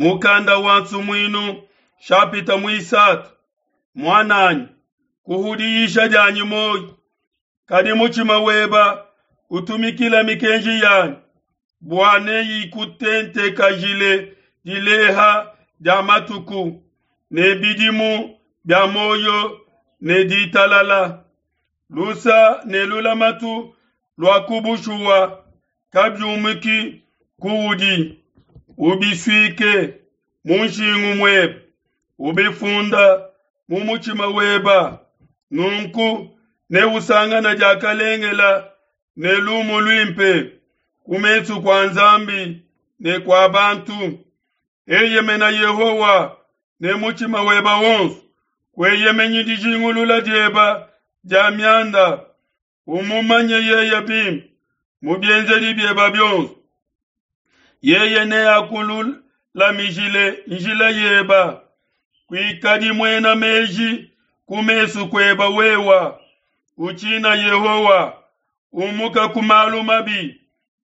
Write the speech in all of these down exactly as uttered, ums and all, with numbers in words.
Mukanda wa Nsumuinu shapita muisatu. Muananyi, kuhudiyisha dianyi muoyo, kadi mutshima weba utumikila mikenji yanyi, bua neyikutentekajile dileha dia matuku ne bidimu bia muoyo ne ditalala. Lusa ne lulamatu lua ku bushuwa kabiumuki kuudi, ubisuike mu nshingu muebe, ubifunda mu mutshima weba. Nunku neusangane diakalengela ne lumu luimpe ku mesu kua Nzambi ne kua bantu. Eyemena Yehowa ne mutshima weba wonso, kueyemenyi dijingulula dieba dia mianda. Umumanye yeye bimpe mu bienzedi bieba bionso, yeye neakululamijile njila yeba. Kuikadi muena meji ku mesu kueba wewa, utshina Yehowa, umuka ku malu mabi.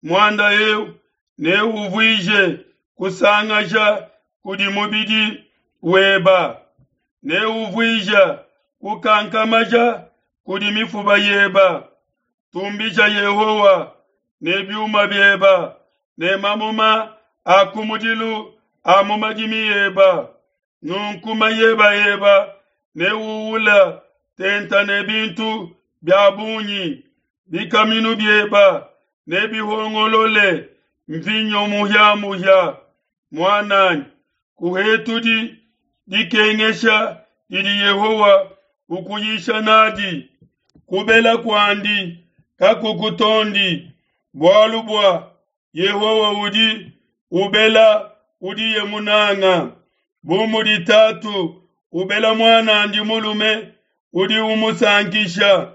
Muanda eu neuvuije kusangaja kudi mubidi weba, neuvuije kukankamaja kudi mifuba yeba. Tumbisha Yehowa ne biuma bieba ne mamuma a kumudilu a mu madimi eba. Nunku mayeba eba neuwula tenta ne bintu bia bungi, bikaminu bieba nebihongolole mvinyo muhia-muhia. Muananyi, kuhetudi dikengesha didi Yehowa ukuyisha nadi, kubela kuandi kakukutondi, bualu bua Yehowa udi ubela udiye munanga. Bu mudi tatu ubela muanandi mulume udi umusankisha.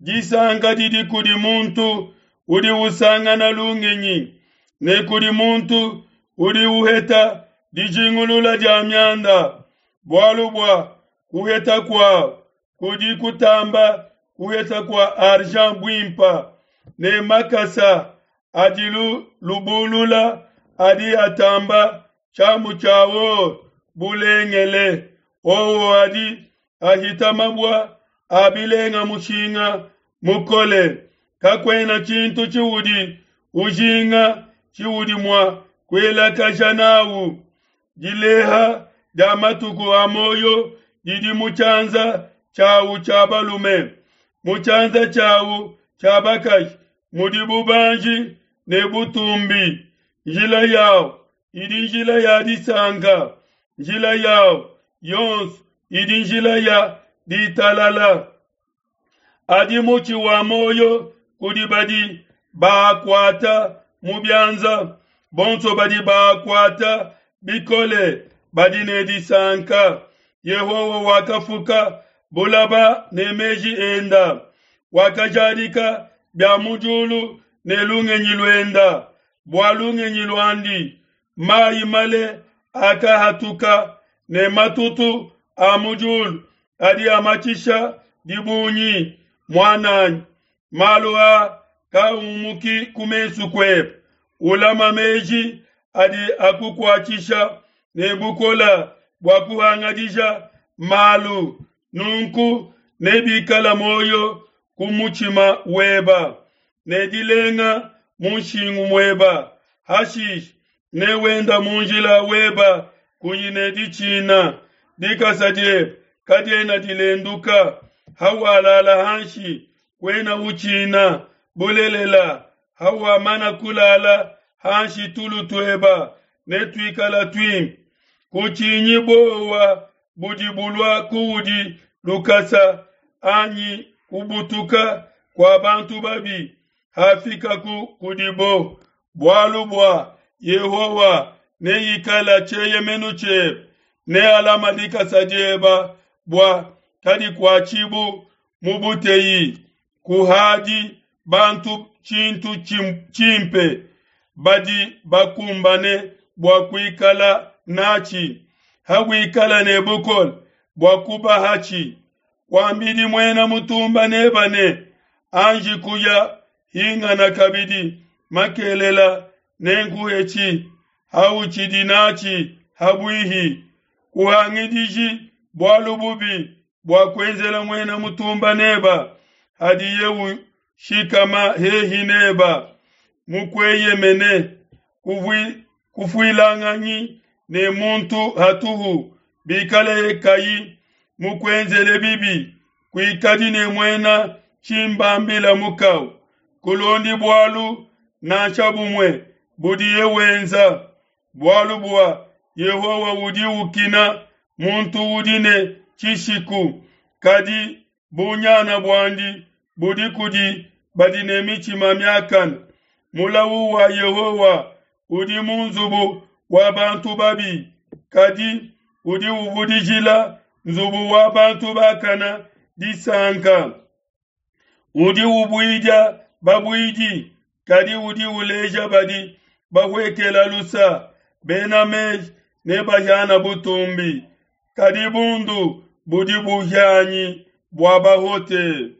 Disanka didi kudi muntu udi usangana lungenyi, ne kudi muntu udi uheta dijingulula dia mianda, bualu bua kuheta kuau kudi kutamba kuheta kua argent buimpa, ne makasa adi lubulula adi atamba tshiamu tshia or bulengele. Owo adi ahita mabua a bilenga mushinga mukole. Kakuena tshintu tshiudi ujinga tshiudi mua kuelakaja nawu. Dileha dia matuku a muoyo didi mu tshianza tshiawu tshia balume, mu tshianza tshiawu tshia bakaji mudi bubanji ne butumbi. Njila yawu idi njila ya disanka, njila yawu yonso idi njila ya ditalala. Adi mutshi wa muoyo kudi badi baakuata mu bianza, bonso badi baakuata bikole badi ne disanka. Yehowa wakafuka bulaba ne meji enda, wakajadika bia mu diulu ne lungenyi luenda. Bua lungenyi luandi mayi male akahatuka, ne matutu a mu diulu adi amatshisha dibungi. Muananyi, malu a kaumuki ku mesu kuebe, ulama meji adi akukuatshisha ne bukola bua kuhangadija malu. Nunku nebikala muoyo ku mutshima weba ne dilenga mu nshingu mueba. Hashishe newenda mu njila weba kuyi ne ditshina, dikasa diebe kadiena dilenduka. Hawalala hanshi kuena utshina, bulelela hawamana kulala hanshi tulu tueba netuikala tuimpe. Kutshinyi bowa budi bulua kuudi lukasa, anyi kubutuka kua bantu babi hafikaku kudibo. Bualu bua Yehowa neikala tshieyemenu tshiebe, nealama dikasa dieba bua kadikuatshibu mu buteyi. Kuhadi bantu tshintu tshimpe badi bakumbane bua kuikala natshi, hawikala ne bukole bua kubahatshi. Kuambidi muena mutumba neba ne, anji kuya hingana kabidi makelela nenkuhetshi. Hautshidi natshi ha buihi. Kuhangidiji bualu bubi bua kuenzela muena mutumba neba hadiye ushikama hehi neba mukueyemene. Kufuilanganyi ne muntu hatuhu bikaleye kayi mukuenzele bibi. Kuikadi ne muena tshimbambila mukau. Kulondi bualu nansha bumue budiye wenza, bualu bua Yehowa udi ukina muntu udi ne tshishiku, kadi bunyana buandi budi kudi badi ne mitshima miakane. Mulau wa Yehowa udi mu nzubu wa bantu babi, kadi udi uvudijila nzubu wa bantu bakana disanka. Udi ubuidia babuidi, kadi udi uleja badi bahuekela lusa. Bena meji nebahiane butumbi, kadi bundu budi buhianyi bua bahote.